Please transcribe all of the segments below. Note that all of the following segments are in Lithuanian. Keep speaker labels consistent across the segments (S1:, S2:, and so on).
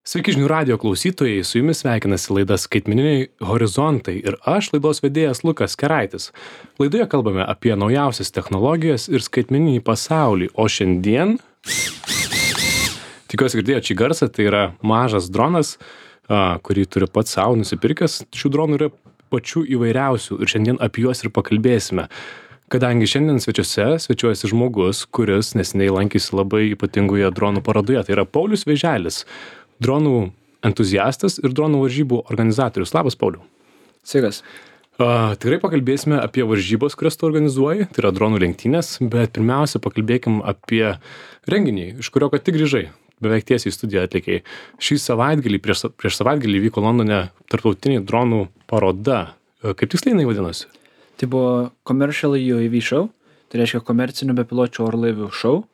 S1: Sveiki žinių radijo klausytojai, su jumis sveikinasi laida Skaitmeniniai horizontai ir aš laidos vedėjas Lukas Keraitis. Laidoje kalbame apie naujausias technologijas ir skaitmeninį pasaulį, o šiandien, tikiuosi girdėjote šį garsą, tai yra mažas dronas, kurį turi pats savo nusipirkęs. Šių dronų yra pačių įvairiausių ir šiandien apie juos ir pakalbėsime. Kadangi šiandien svečiuojasi žmogus, kuris neseniai lankėsi labai ypatingoje dronų parodoje, tai yra Paulius Vėželis, dronų entuziastas ir dronų varžybų organizatorius. Labas, Pauliau.
S2: Sveikas.
S1: Tikrai pakalbėsime apie varžybos, kurias tu organizuoji, tai yra dronų lenktynės, bet pirmiausia pakalbėkim apie renginį, iš kurio ką tik grįžai, beveik tiesiai į studiją atlikėjai. Šį savaitgalį, prieš savaitgalį vyko Londone tarptautinė dronų paroda. Kaip tiksliai jinai vadinosi?
S2: Tai buvo Commercial UAV show, tai reiškia komercinių bepiločių orlaivių show.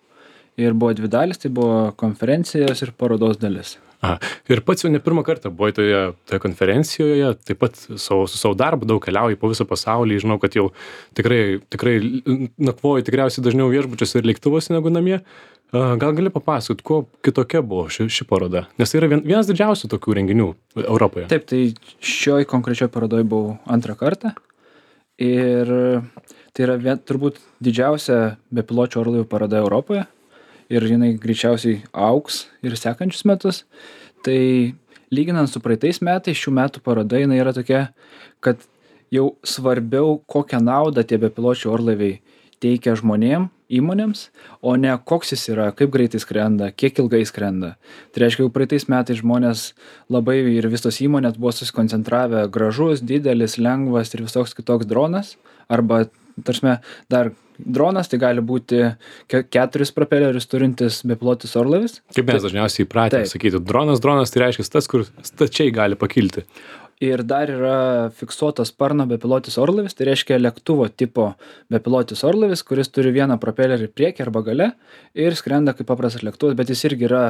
S2: Ir buvo dvi dalis, tai buvo konferencijos ir parodos dalis.
S1: Ir pats jau ne pirmą kartą buvai toje konferencijoje, taip pat su savo darbu daug keliauji po visą pasaulį. Žinau, kad jau tikrai nakvoji tikriausiai dažniau viešbučiuose ir lėktuvuose negu namie. Gal gali papasakoti, kuo kitokia buvo ši paroda? Nes tai yra vienas didžiausių tokių renginių Europoje.
S2: Taip, tai šioj konkrečioj parodoj buvau antrą kartą. Ir tai yra turbūt didžiausia bepiločių orlaivių paroda Europoje. Ir jinai greičiausiai augs ir sekančius metus. Tai lyginant su praeitais metais, šių metų paroda jinai yra tokia, kad jau svarbiau kokią naudą tie bepiločių orlaiviai teikia žmonėm, įmonėms, o ne koks jis yra, kaip greitai skrenda, kiek ilgai skrenda. Tai reiškia, jau praeitais metais žmonės labai ir visos įmonės buvo susikoncentravę gražus, didelis, lengvas ir visoks kitoks dronas. Arba, tarsi, dar dronas tai gali būti 4 propelerius turintis bepilotis orlaivis.
S1: Kaip mes dažniausiai įpratę sakyti, dronas tai reiškia tas, kur stačiai gali pakilti.
S2: Ir dar yra fiksuotas sparno bepilotis orlaivis, tai reiškia lėktuvo tipo bepilotis orlaivis, kuris turi vieną propelerį priekį arba gale ir skrenda kaip paprastas lėktuvas, bet jis irgi yra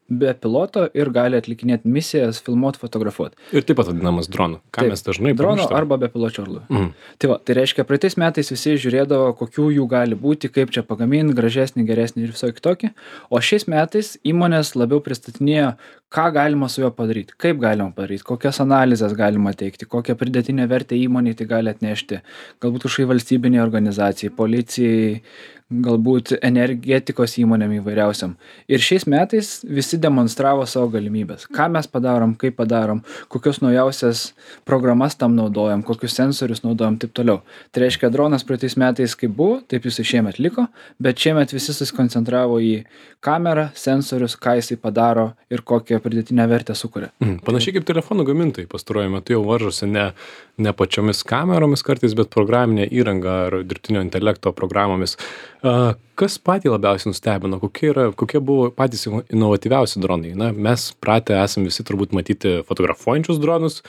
S2: be piloto ir gali atlikinėti misijas, filmuoti, fotografuoti.
S1: Ir taip pat vadinamas dronu. Mes dažnai
S2: drono arba bepiločio orlaivio. Tai reiškia, praeitais metais visi žiūrėdavo, kokių jų gali būti, kaip čia pagaminti, gražesnį, geresnį ir visokie kitokie. O šiais metais įmonės labiau pristatinėjo, ką galima su juo padaryti, kaip galima padaryti, kokias analizės galima teikti, kokią pridėtinę vertę įmonei tai gali atnešti. Galbūt kažkokiai valstybiniai organizacijai, policijai, galbūt energetikos įmonėm įvairiausiam. Ir šiais metais visi demonstravo savo galimybės. Ką mes padarom, kaip padarom, kokios naujausias programas tam naudojam, kokius sensorius naudojam, taip toliau. Tai reiškia, dronas praeitais metais kaip buvo, taip jisai šiemet liko, bet šiemet visi susikoncentravo į kamerą, sensorius, ką jisai padaro ir kokią pridėtinę vertę sukuria.
S1: Panašiai kaip telefonų gamintojai pastaruoju metu jau varžosi ne pačiomis kameromis kartais, bet programinė įranga ar dirbtinio intelekto programomis. Kas patį labiausiai nustebino? Kokie buvo patys inovatyviausi dronai? Mes pratę esam visi turbūt matyti fotografuojančius dronus,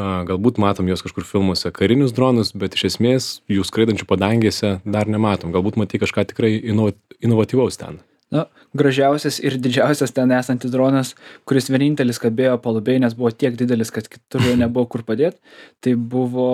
S1: galbūt matom juos kažkur filmuose karinius dronus, bet iš esmės jų skraidančių padangėse dar nematom. Galbūt matai kažką tikrai inovatyvaus ten.
S2: Gražiausias ir didžiausias ten esantis dronas, kuris vienintelis kabėjo palubėj, nes buvo tiek didelis, kad kitur jo nebuvo kur padėti. Tai buvo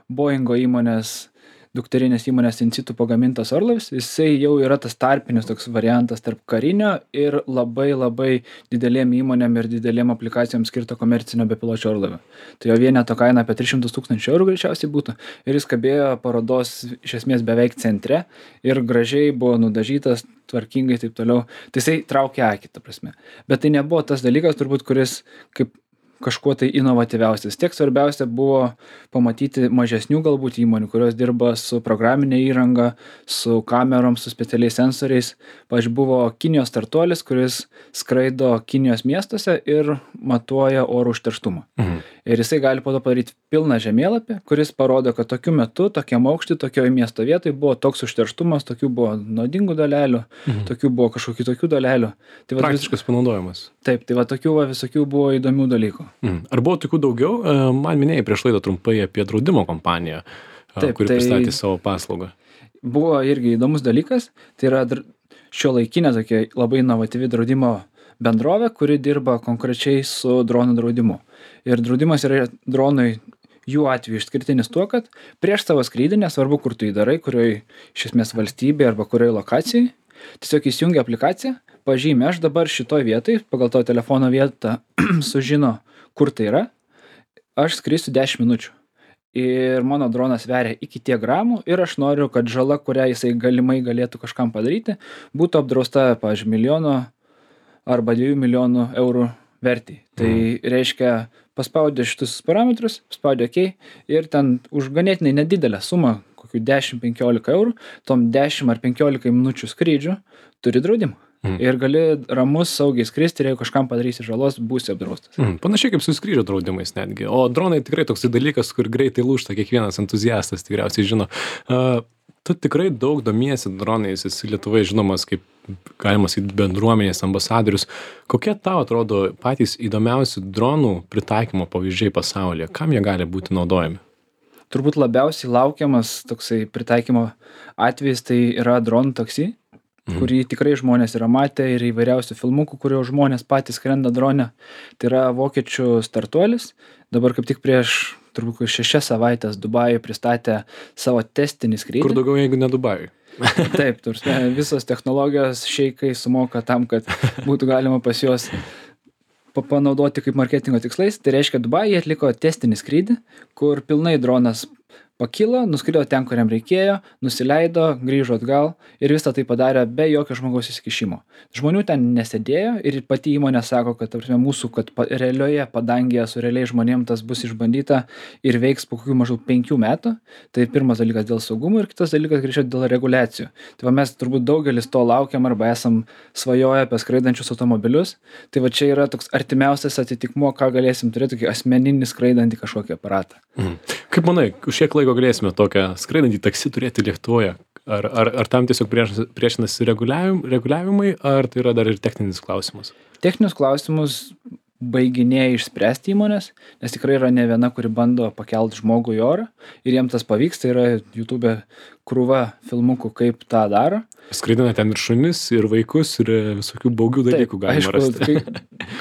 S2: Boeingo įmonės, dukterinės įmonės In Situ pagamintas orlaivis. Jisai jau yra tas tarpinis toks variantas tarp karinio ir labai didelėm įmonėm ir didelėm aplikacijom skirto komercinio bepiločio orlaivio. Tai jo vieneto kaina apie 300 000 eurų greičiausiai būtų. Ir jis kabėjo parodos iš esmės beveik centre ir gražiai buvo nudažytas, tvarkingai taip toliau. Tai jisai traukia akį, ta prasme. Bet tai nebuvo tas dalykas, turbūt, kuris kaip kažkuo tai inovatyviausias. Tiek svarbiausia buvo pamatyti mažesnių galbūt įmonių, kurios dirba su programinė įranga, su kamerom, su specialiais sensoriais. Pavyzdžiui, buvo Kinijos startuolis, kuris skraido Kinijos miestuose ir matuoja oro užterštumą. Ir jisai gali po to padaryti pilną žemėlapį, kuris parodo, kad tokiu metu, tokiam aukštį, tokioje miesto vietoje buvo toks užterštumas, tokių buvo naudingų dalelių, tokių buvo kažkokių tokių dalelių. Tai
S1: praktiškas panaudojimas.
S2: Taip, tai tokių visokių buvo įdomių dalykų.
S1: Ar buvo tokių daugiau? Man minėjai prieš laidą trumpai apie draudimo kompaniją, kuri pristatė savo paslaugą.
S2: Buvo irgi įdomus dalykas. Tai yra šiuolaikinė tokia labai inovatyvi draudimo bendrovė, kuri dirba konkrečiai su dronų draudimu. Ir draudimas yra dronui jų atveju išskirtinis tuo, kad prieš savo skrydį, nesvarbu kur tu jį darai, kurioje iš esmės valstybėje arba kurioje lokacijai, tiesiog įsijungia aplikaciją, pažymi. Aš dabar šitoj vietoj, pagal to telefono vietą, sužino, kur tai yra. Aš skrisiu 10 minučių. Ir mano dronas sveria iki tiek gramų ir aš noriu, kad žala, kurią jisai galimai galėtų kažkam padaryti, būtų apdrausta, pavyzdžiui, 1 arba 2 milijonų eurų vertei. Tai reiškia, paspaudė šitus parametrus, paspaudė OK ir ten už ganėtinai nedidelę sumą, kokių 10-15 eurų, tom 10 ar 15 minučių skrydžių turi draudimą. Ir gali ramus saugiai skristi ir jeigu kažkam padarysi žalos, būsi apdraustas.
S1: Panašiai kaip su skrydžio draudimais netgi. O dronai tikrai toks dalykas, kur greitai lūžta, kiekvienas entuziastas tikriausiai žino. Tu tikrai daug domiesi dronais, esi Lietuvoje žinomas kaip, galima sakyti, bendruomenės ambasadorius. Kokie tau atrodo patys įdomiausi dronų pritaikymo pavyzdžiai pasaulyje? Kam jie gali būti naudojami?
S2: Turbūt labiausiai laukiamas toksai pritaikymo atvejis tai yra dronų taksi, kurį tikrai žmonės yra matę ir įvairiausių filmukų, kurio žmonės patys skrenda drone. Tai yra vokiečių startuolis. Dabar kaip tik prieš turbūt 6 savaitės Dubajuje pristatė savo testinį skrydį.
S1: Kur daugiau, jeigu ne Dubajuje?
S2: Taip, visos technologijos šeikai sumoka tam, kad būtų galima pas juos panaudoti kaip marketingo tikslais. Tai reiškia, Dubajuje atliko testinį skrydį, kur pilnai dronas pakilo, nuskrido ten, kuriam reikėjo, nusileido, grįžo atgal ir visą tai padarė be jokio žmogaus įsikišimo. Žmonių ten nesėdėjo ir pati įmonė sako, kad kad realioje padangėje su realiai žmonėm tas bus išbandyta ir veiks po kokių maždaug 5 metų. Tai pirmas dalykas dėl saugumo ir kitas dalykas greičiau dėl reguliacijų. Tai va mes turbūt daugelis to laukiam arba esam svajoję apie skraidančius automobilius. Tai va čia yra toks artimiausias atitikmuo, ką galėsim turėti, tokį asmeninį skraidantį kažkokį aparatą.
S1: Kaip manai, už kiek laiko galėsime tokią skraidantį taksi turėti Lietuvoje? Ar tam tiesiog priešinasi reguliavimai, ar tai yra dar ir techninis klausimas?
S2: Techninius klausimus baiginėja išspręsti įmonės, nes tikrai yra ne viena, kuri bando pakelt žmogų į orą ir jiem tas pavyks. Tai yra YouTube krūva filmukų, kaip tą daro.
S1: Skraidina ten ir šunis, ir vaikus, ir visokių baugių dalykų galima rasti.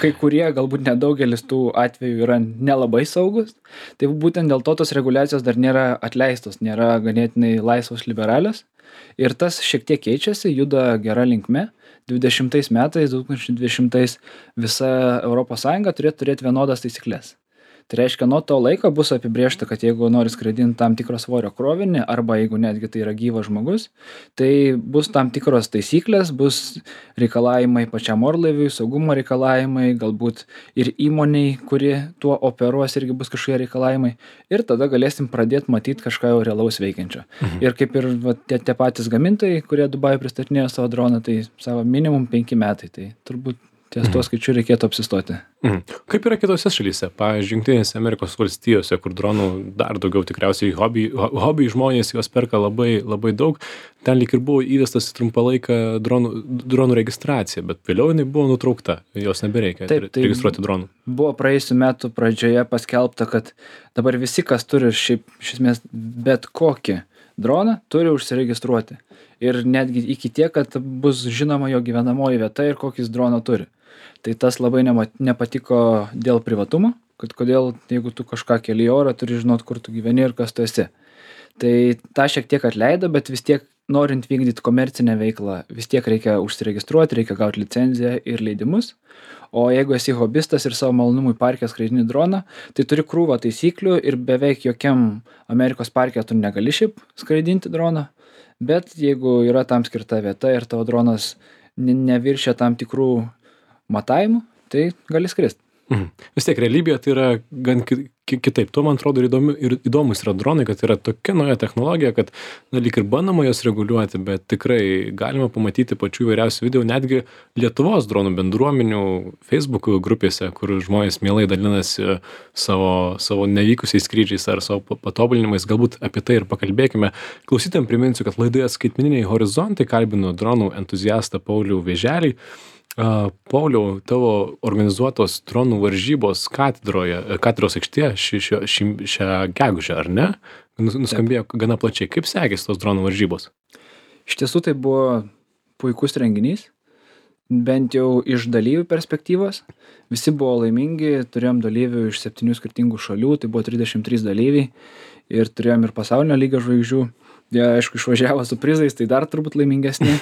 S2: Kai kurie, galbūt nedaugelis tų atvejų yra nelabai saugus. Tai būtent dėl to tos reguliacijos dar nėra atleistos, nėra ganėtinai laisvos liberalios. Ir tas šiek tiek keičiasi, juda gera linkme. 2020 visa ES turėtų turėti vienodas taisyklės. Tai reiškia, nuo to laiko bus apibrėžta, kad jeigu nori skraidinti tam tikro svorio krovinį, arba jeigu netgi tai yra gyvas žmogus, tai bus tam tikros taisyklės, bus reikalavimai pačiam orlaiviui, saugumo reikalavimai, galbūt ir įmoniai, kuri tuo operuos, irgi bus kažkokie reikalavimai. Ir tada galėsim pradėti matyti kažką jau realaus veikiančio. Ir kaip ir tie patys gamintojai, kurie Dubajuje pristatinėjo savo droną, tai savo minimum 5 metai. Tai turbūt ties tuo skaičiu reikėtų apsistoti.
S1: Kaip yra kitose šalyse? Pavyzdžiui, Jungtinėse Amerikos valstijose, kur dronų dar daugiau tikriausiai hobby žmonės juos perka labai, labai daug. Ten lyg ir buvo įvestas trumpalaikę dronų registracija, bet vėliau jinai buvo nutraukta. Jos nebereikia registruoti dronų.
S2: Buvo praėjusių metų pradžioje paskelbta, kad dabar visi, kas turi šiaip iš esmės bet kokį droną, turi užsiregistruoti. Ir netgi iki tiek, kad bus žinoma jo gyvenamoji vieta ir kokį jis droną turi. Tai tas labai nepatiko dėl privatumo, kad kodėl, jeigu tu kažką keli į orą, turi žinot, kur tu gyveni ir kas tu esi. Tai tą šiek tiek atleido, bet vis tiek norint vykdyti komercinę veiklą, vis tiek reikia užsiregistruoti, reikia gauti licenciją ir leidimus. O jeigu esi hobistas ir savo malonumui parke skraidini droną, tai turi krūvą taisyklių ir beveik jokiam Amerikos parke tu negali šiaip skraidinti droną. Bet jeigu yra tam skirta vieta ir tavo dronas neviršia tam tikrų matavimų, tai gali skristi.
S1: Vis tiek realybėje tai yra gan kitaip. Tuo, man atrodo, įdomus yra dronai, kad yra tokia nauja technologija, kad lyg ir bandoma jos reguliuoti, bet tikrai galima pamatyti pačių įvairiausių video, netgi Lietuvos dronų bendruomenių Facebook grupėse, kur žmonės mielai dalinasi savo nevykusiais skrydžiais ar savo patobulinimais. Galbūt apie tai ir pakalbėkime. Klausytojams priminsiu, kad laidoje Skaitmeniniai horizontai kalbinu dronų entuziastą Paulių Vėželį. Pauliau, tavo organizuotos dronų varžybos katedros aikštėje šią gegužę, ar ne? Nuskambėjo gana plačiai. Kaip sekėsi tos dronų varžybos?
S2: Iš tiesų tai buvo puikus renginys, bent jau iš dalyvių perspektyvos. Visi buvo laimingi, turėjom dalyvių iš 7 skirtingų šalių, tai buvo 33 dalyviai ir turėjom ir pasaulinio lygio žvaigždžių. Jie, aišku, išvažiavo su prizais, tai dar turbūt laimingesni.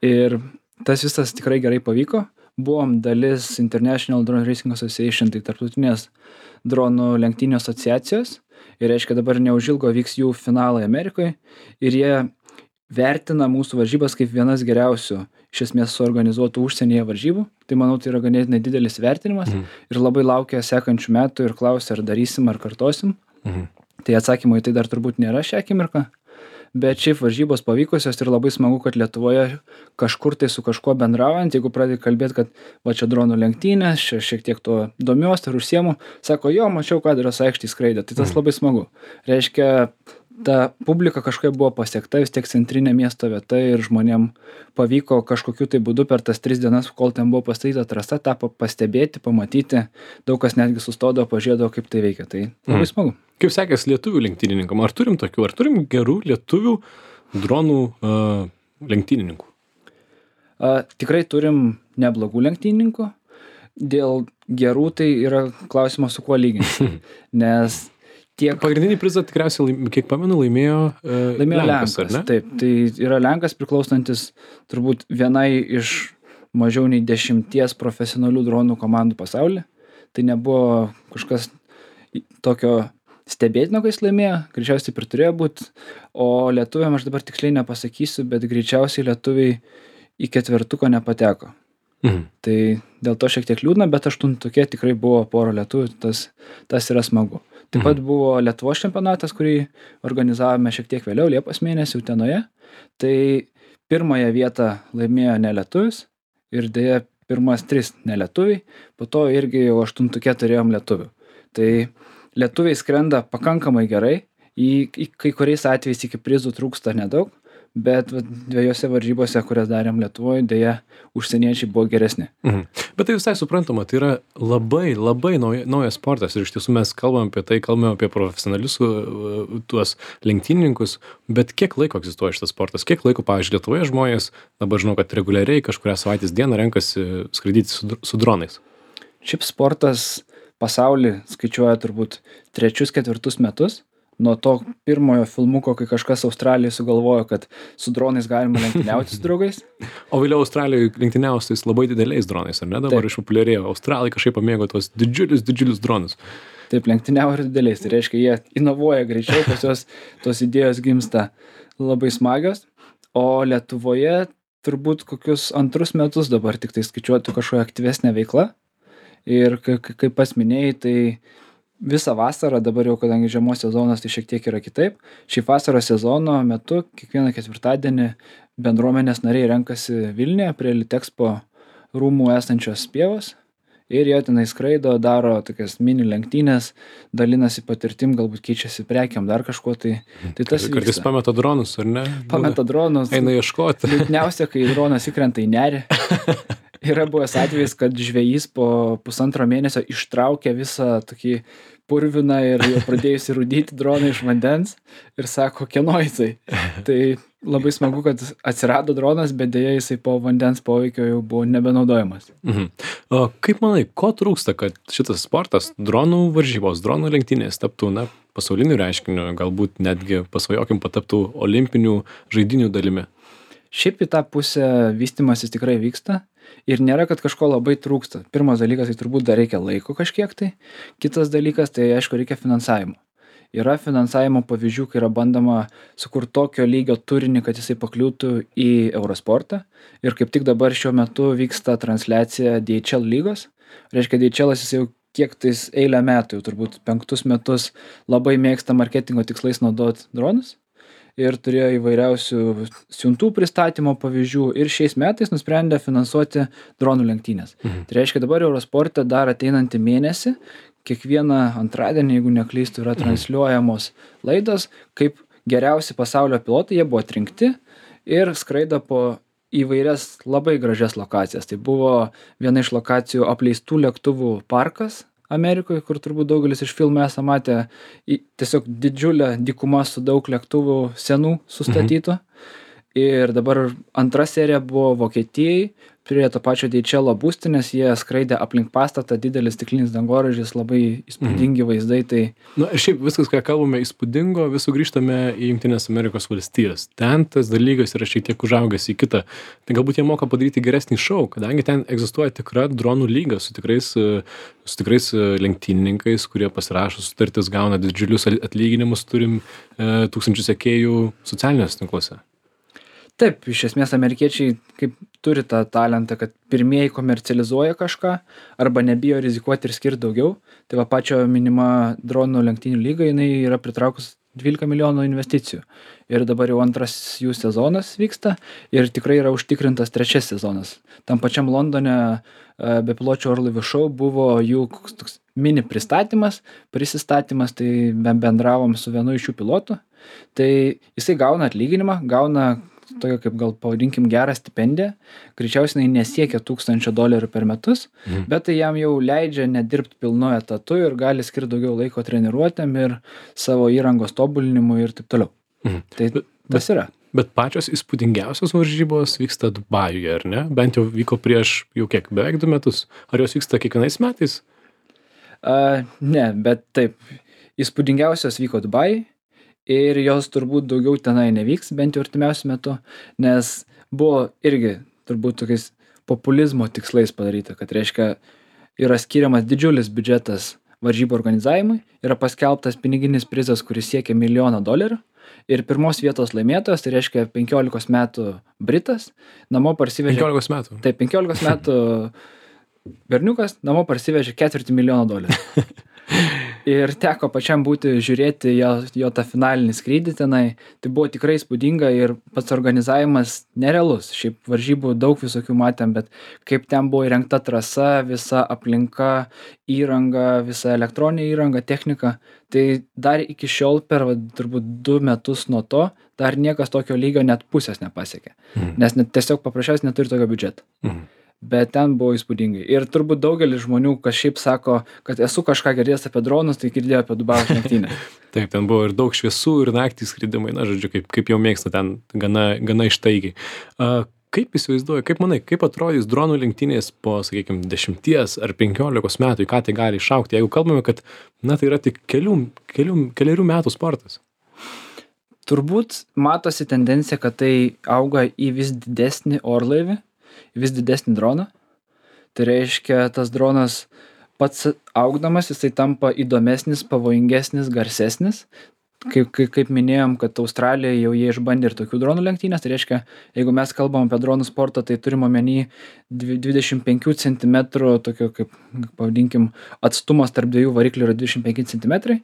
S2: Ir tas visas tikrai gerai pavyko. Buvom dalis International Drone Racing Association, tai tarptautinės dronų lenktynių asociacijos. Ir reiškia, dabar neužilgo vyks jų finalai Amerikoje. Ir jie vertina mūsų varžybas kaip vienas geriausių iš esmės suorganizuotų užsienyje varžybų. Tai manau, tai yra ganėtinai didelis vertinimas. Ir labai laukia sekančių metų ir klausia, ar darysim, ar kartosim. Tai atsakymo į tai dar turbūt nėra šią akimirką. Bet šiaip varžybos pavykusios ir labai smagu, kad Lietuvoje kažkur tai su kažkuo bendraujant, jeigu pradedi kalbėti, kad va čia dronų lenktynės, čia šiek tiek to domiuosi ir užsiemu, sako, jo, mačiau, Katedros aikštėj skraidė, tai tas labai smagu. Reiškia, ta publika kažkaip buvo pasiekta, vis tiek centrinė miesto vieta ir žmonėm pavyko kažkokiu tai būdu per tas 3 dienas, kol ten buvo pastatyta trasa, tą pastebėti, pamatyti, daug kas netgi sustodavo, pažiūrėdavo, kaip tai veikia, tai labai smagu.
S1: Kaip sekės lietuvių lenktynininkam? Ar turim tokių, ar turim gerų lietuvių dronų lenktynininkų?
S2: Tikrai turim neblogų lenktynininkų. Dėl gerų tai yra klausimas, su kuo lyginti. Nes tiek...
S1: Pagrindinį prizą tikriausiai, kiek pamenu, laimėjo Lenkas, ar ne?
S2: Taip, tai yra Lenkas priklausantis turbūt vienai iš mažiau nei 10 profesionalių dronų komandų pasaulyje. Tai nebuvo kažkas tokio stebėtino, kai jis laimėjo, greičiausiai ir turėjo būti, o lietuviam aš dabar tiksliai nepasakysiu, bet greičiausiai lietuviai į 4 nepateko. Tai dėl to šiek tiek liūdna, bet 8 tikrai buvo pora lietuvių, tas yra smagu. Taip pat buvo Lietuvos čempionatas, kurį organizavome šiek tiek vėliau, Liepos mėnesį Utenoje. Tai pirmąją vietą laimėjo nelietuvis ir dėja pirmas 3 nelietuviai, po to irgi jau 8 turėjom lietuvių. Tai lietuviai skrenda pakankamai gerai, į kai kuriais atvejais iki prizų trūksta nedaug, bet 2 varžybose, kurias darėm Lietuvoje, dėja užsieniečiai buvo geresni.
S1: Bet tai visai suprantama, tai yra labai naujas sportas ir iš tiesų mes kalbame apie profesionalius tuos lenktynininkus, bet kiek laiko egzistuoja šitas sportas, kiek laiko, pavyzdžiui, Lietuvoje žmonės, dabar žinau, kad reguliariai kažkurią savaitės dieną renkasi skraidyti su dronais.
S2: Šiaip sportas pasaulį skaičiuoja turbūt 3-4 metus. Nuo to pirmojo filmuko, kai kažkas Australijoje sugalvojo, kad su dronais galima lenktyniauti su draugais.
S1: O vėliau Australijoje lenktyniausi tais labai dideliais dronais, ar ne? Dabar išpopuliarėjo. Australai kažkaip pamėgo tuos didžiulius dronus.
S2: Taip, lenktyniavo ir dideliais. Tai reiškia, jie inovuoja greičiau, pas juos tos idėjos gimsta labai smagios. O Lietuvoje turbūt kokius 2 metus dabar tik tai skaičiuotų kažkokia aktyvesnė veikla. Ir kaip pats minėjai, tai visą vasarą, dabar jau kadangi žiemos sezonas, tai šiek tiek yra kitaip. Šį vasaros sezono metu, kiekvieną ketvirtadienį bendruomenės nariai renkasi Vilniuje prie Litexpo rūmų esančios pievos. Ir jie tenai skraido, daro tokias mini lenktynės, dalinasi patirtim, galbūt keičiasi prekiam, dar kažkuo tai tas vyksta.
S1: Kartais pameta dronus, ar ne?
S2: Pameta dronus.
S1: Eina ieškoti.
S2: Liūdniausia, kai dronas įkrenta į nerį. Yra buvęs atvejis, kad žvejys po 1,5 mėnesio ištraukė visą tokį purviną ir jau pradėjusi rūdyti droną iš vandens ir sako, kieno jisai. Tai labai smagu, kad atsirado dronas, bet dėja jisai po vandens poveikio jau buvo nebenaudojamas.
S1: O kaip manai, ko trūksta, kad šitas sportas, dronų varžybos, dronų lenktynės taptų pasauliniu reiškiniu, galbūt netgi pasvajokim pataptų olimpinių žaidynių dalimi?
S2: Šiaip į tą pusę vystymasis tikrai vyksta ir nėra, kad kažko labai trūksta. Pirmas dalykas, tai turbūt dar reikia laiko kažkiek tai. Kitas dalykas, tai aišku, reikia finansavimo. Yra finansavimo pavyzdžių, kai yra bandoma sukurti tokio lygio turinį, kad jisai pakliūtų į Eurosportą. Ir kaip tik dabar šiuo metu vyksta transliacija DHL lygos. Reiškia, DHL jis jau kiek tais eilę metų, jau turbūt 5 metus labai mėgsta marketingo tikslais naudoti dronus. Ir turėjo įvairiausių siuntų pristatymo pavyzdžių ir šiais metais nusprendė finansuoti dronų lenktynės. Tai reiškia, dabar Eurosporte dar ateinantį mėnesį, kiekvieną antradienį, jeigu neklystu, yra transliuojamos laidos, kaip geriausi pasaulio pilotai, jie buvo atrinkti ir skraido po įvairias labai gražias lokacijas. Tai buvo viena iš lokacijų apleistų lėktuvų parkas Amerikoje, kur turbūt daugelis iš filmų esame matę, tiesiog didžiulę dykumą su daug lėktuvų senų sustatytų. Ir dabar antra serija buvo Vokietijai, prie to pačio DHL būstinės, jie skraidė aplink pastatą, didelis stiklinis dangoraižis, labai įspūdingi vaizdai. Tai...
S1: Na ir šiaip viskas, ką kalbame įspūdingo, vis sugrįžtame į Jungtinės Amerikos valstijas. Ten tas dalykas yra šiek tiek užaugęs į kitą. Tai galbūt jie moka padaryti geresnį šou, kadangi ten egzistuoja tikra dronų lyga su tikrais lenktynininkais, kurie pasirašo sutartis, gauna didžiulius atlyginimus, turim tūkstančių sekėjų socialiniuose tinkluose.
S2: Taip, iš esmės amerikiečiai kaip turi tą talentą, kad pirmieji komercializuoja kažką arba nebijo rizikuoti ir skirti daugiau. Tai va pačio minima dronų lenktynių lyga, jinai yra pritraukus 12 milijonų investicijų. Ir dabar jau antras jų sezonas vyksta ir tikrai yra užtikrintas trečias sezonas. Tam pačiam Londone bepiločių orlaivių šou buvo jų toks mini pristatymas, tai bendravom su vienu iš jų pilotų. Tai jisai gauna atlyginimą, gauna tokia kaip gal pavadinkim gerą stipendiją, greičiausiai jinai nesiekia $1000 per metus, bet tai jam jau leidžia nedirbti pilnu etatu ir gali skirti daugiau laiko treniruotėm ir savo įrangos tobulinimui ir taip toliau. Tai tas yra.
S1: Bet pačios įspūdingiausios varžybos vyksta Dubajuje, ar ne? Bent jau vyko prieš jau kiek, beveik 2 metus. Ar jos vyksta kiekvienais metais?
S2: Ne, bet taip, įspūdingiausios vyko Dubajuje. Ir jos turbūt daugiau tenai nevyks, bent jau artimiausiu metu, nes buvo irgi turbūt tokiais populizmo tikslais padaryta, kad reiškia yra skiriamas didžiulis biudžetas varžybų organizavimui, yra paskelbtas piniginis prizas, kuris siekia $1 milijoną ir pirmos vietos laimėtojas, tai reiškia 15 metų Britas, namo parsivežė...
S1: 15 metų?
S2: Taip, 15 metų berniukas namo parsivežė $250 milijonų. Ir teko pačiam būti žiūrėti jo tą finalinį skrydį tenai. Tai buvo tikrai įspūdinga ir pats organizavimas nerealus. Šiaip varžybų daug visokių matėm, bet kaip ten buvo įrengta trasa, visa aplinka, įranga, visa elektroninė įranga, technika. Tai dar iki šiol per turbūt 2 metus nuo to dar niekas tokio lygio net pusės nepasiekė. Nes tiesiog paprasčiausiai neturi tokio biudžeto. Bet ten buvo įspūdingai. Ir turbūt daugelis žmonių, kas šiaip sako, kad esu kažką girdėjęs apie dronus, tai girdėjo apie Dubajaus lenktynės.
S1: Taip, ten buvo ir daug šviesų, ir naktį skridimai, na, žodžiu, kaip jau mėgsta ten gana ištaigiai. Kaip įsivaizduoji, kaip manai, kaip atrodys dronų lenktynės po, sakykime, 10 ar 15 metų, į ką tai gali išaugti, jeigu kalbame, kad, na, tai yra tik keliarių metų sportas?
S2: Turbūt matosi tendencija, kad tai auga į vis didesnį orlaivį, vis didesnį droną. Tai reiškia, tas dronas pats augdamas, jisai tampa įdomesnis, pavojingesnis, garsesnis. Kaip minėjom, kad Australijoje jau jie išbandė ir tokių dronų lenktynės. Tai reiškia, jeigu mes kalbam apie dronų sportą, tai turim omeny 25 cm, tokio kaip, pavadinkim, atstumas tarp dviejų variklių yra 25 cm.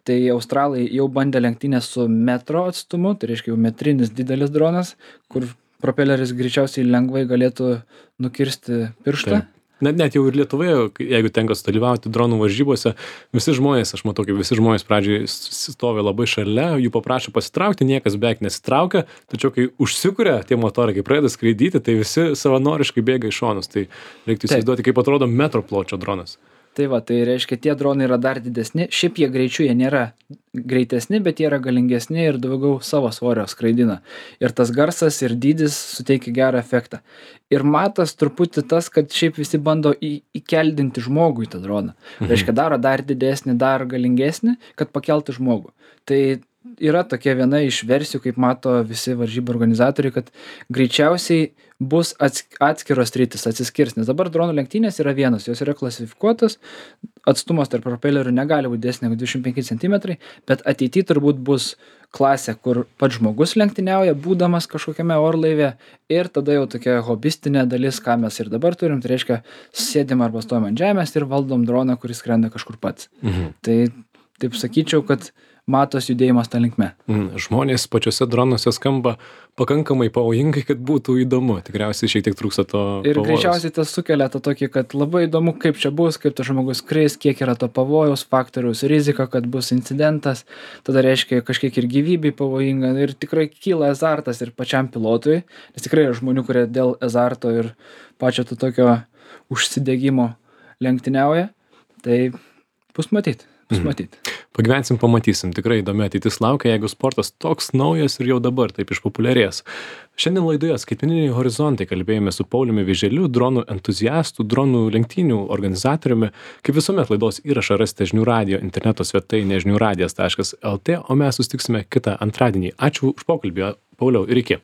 S2: Tai Australai jau bandė lenktynės su metro atstumu, tai reiškia jau metrinis didelis dronas, kur propeleris greičiausiai lengvai galėtų nukirsti pirštą.
S1: Taip. Net jau ir Lietuvoje, jeigu tenka dalyvauti dronų varžybose, visi žmonės, aš matau, kaip visi žmonės pradžiai stovi labai šalia, jų paprašo pasitraukti, niekas beveik nesitraukia, tačiau kai užsikuria tie motorai, kai pradeda skraidyti, tai visi savanoriškai bėga į šonus. Tai reiktų įsivaizduoti, kaip atrodo metro pločio dronas.
S2: Tai va, tai reiškia, tie dronai yra dar didesni. Šiaip jie greičiu, jie nėra greitesni, bet jie yra galingesni ir daugiau savo svorio skraidina. Ir tas garsas ir dydis suteikia gerą efektą. Ir matas truputį tas, kad šiaip visi bando įkeldinti žmogų į tą droną. Reiškia, daro dar didesnį, dar galingesnį, kad pakeltų žmogų. Tai yra tokia viena iš versijų, kaip mato visi varžybų organizatoriai, kad greičiausiai bus atskiros sritys, atsiskirs. Nes dabar dronų lenktynės yra vienos, jos yra klasifikuotos, atstumas tarp propelerių negali būti didesnė negu 25 cm, bet ateityje turbūt bus klasė, kur pats žmogus lenktyniauja, būdamas kažkokiame orlaive, ir tada jau tokia hobistinė dalis, ką mes ir dabar turim, tai reiškia, sėdim arba stovim ant žemės ir valdom droną, kuris skrenda kažkur pats. Tai taip sakyčiau, kad matos judėjimas tą linkme.
S1: Žmonės pačiuose dronuose skamba pakankamai pavojingai, kad būtų įdomu. Tikriausiai šiek tiek trūksta to pavojaus.
S2: Ir greičiausiai tas sukelia tą tokį, kad labai įdomu, kaip čia bus, kaip tas žmogus skris, kiek yra to pavojaus faktoriaus, rizika, kad bus incidentas. Tada reiškia kažkiek ir gyvybei pavojinga. Ir tikrai kyla azartas ir pačiam pilotui. Nes tikrai yra žmonių, kurie dėl azarto ir pačio to tokio užsidegimo lenktyniauja. Tai bus matyt.
S1: Pagyvensim, pamatysim. Tikrai įdomi ateitis laukia, jeigu sportas toks naujas ir jau dabar taip išpopuliarės. Šiandien laidoje Skaitmeniniai horizontai kalbėjome su Pauliumi Vėželiu, dronų entuziastu, dronų lenktynių organizatoriumi. Kaip visuomet laidos įrašą rasite žinių radijo interneto svetainėje žiniųradijas.lt, o mes susitiksime kitą antradienį. Ačiū už pokalbį, Pauliau, ir iki.